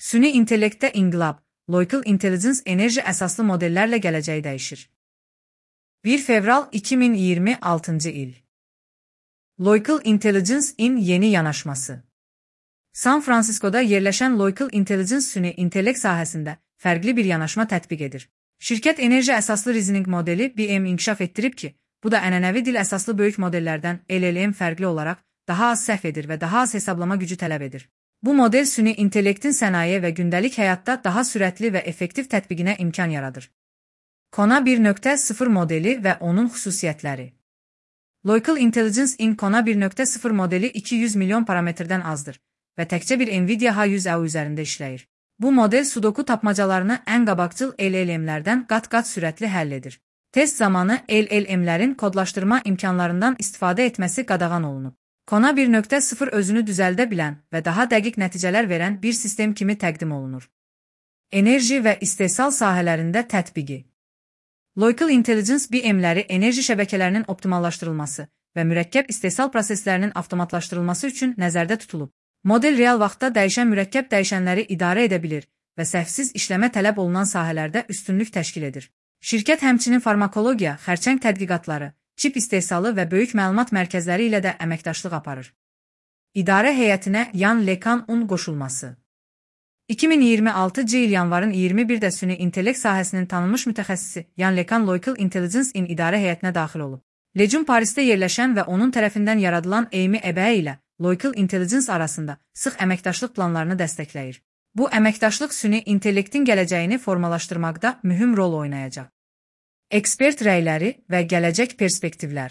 Süni intellektdə inqilab, Local Intelligence enerji əsaslı modellərlə gələcəyi dəyişir. 1 fevral 2026 il. Local Intelligence-in yeni yanaşması. San Fransiskoda yerləşən Local Intelligence süni intellekt sahəsində fərqli bir yanaşma tətbiq edir. Şirkət enerji əsaslı reasoning modeli BM inkişaf etdirib ki, bu da ənənəvi dil əsaslı böyük modellərdən LLM fərqli olaraq daha az səhv edir və daha az hesablama gücü tələb edir. Bu model süni intellektin sənaye və gündəlik həyatda daha sürətli və effektiv tətbiqinə imkan yaradır. Kona 1.0 modeli və onun xüsusiyyətləri. Local Intelligence-in Kona 1.0 modeli 200 milyon parametrdən azdır və təkcə bir NVIDIA H100A üzərində işləyir. Bu model sudoku tapmacalarını ən qabaqcıl LLM-lərdən qat-qat sürətli həll edir. Test zamanı LLM-lərin kodlaşdırma imkanlarından istifadə etməsi qadağan olunub. Kona 1.0 özünü düzəldə bilən və daha dəqiq nəticələr verən bir sistem kimi təqdim olunur. Enerji və istehsal sahələrində tətbiqi. Local Intelligence BM-ləri enerji şəbəkələrinin optimallaşdırılması və mürəkkəb istehsal proseslərinin avtomatlaşdırılması üçün nəzərdə tutulub. Model real vaxtda dəyişən mürəkkəb dəyişənləri idarə edə bilir və səhvsiz işləmə tələb olunan sahələrdə üstünlük təşkil edir. Şirkət həmçinin farmakologiya, xərçəng tədqiqatları, çip istehsalı və böyük məlumat mərkəzləri ilə də əməkdaşlıq aparır. İdarə heyətinə Yan LeCun qoşulması. 2026 il yanvarın 21-də süni intellekt sahəsinin tanınmış mütəxəssisi Yan LeCun Local Intelligence-in idarə heyətinə daxil olub. LeCun Parisdə yerləşən və onun tərəfindən yaradılan Amy Ebəyə ilə Local Intelligence arasında sıx əməkdaşlıq planlarını dəstəkləyir. Bu əməkdaşlıq süni intellektin gələcəyini formalaşdırmaqda mühüm rol oynayacaq. Ekspert rəyləri və gələcək perspektivlər.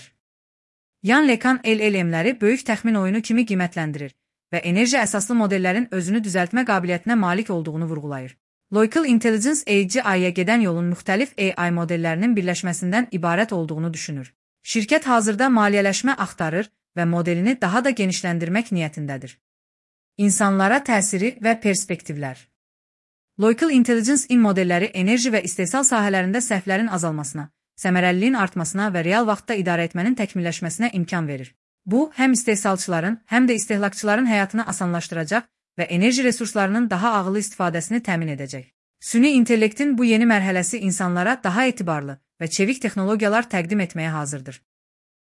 Yan LeCun LLM-ləri böyük təxmin oyunu kimi qiymətləndirir və enerji əsaslı modellərin özünü düzəltmə qabiliyyətinə malik olduğunu vurğulayır. Local Intelligence AGI-yə gedən yolun müxtəlif AI modellərinin birləşməsindən ibarət olduğunu düşünür. Şirkət hazırda maliyyələşmə axtarır və modelini daha da genişləndirmək niyyətindədir. İnsanlara təsiri və perspektivlər. Local Intelligence-in modelləri enerji və istehsal sahələrində səhvlərin azalmasına, səmərəliliyin artmasına və real vaxtda idarə etmənin təkmilləşməsinə imkan verir. Bu, həm istehsalçıların, həm də istehlakçıların həyatını asanlaşdıracaq və enerji resurslarının daha ağıllı istifadəsini təmin edəcək. Süni intellektin bu yeni mərhələsi insanlara daha etibarlı və çevik texnologiyalar təqdim etməyə hazırdır.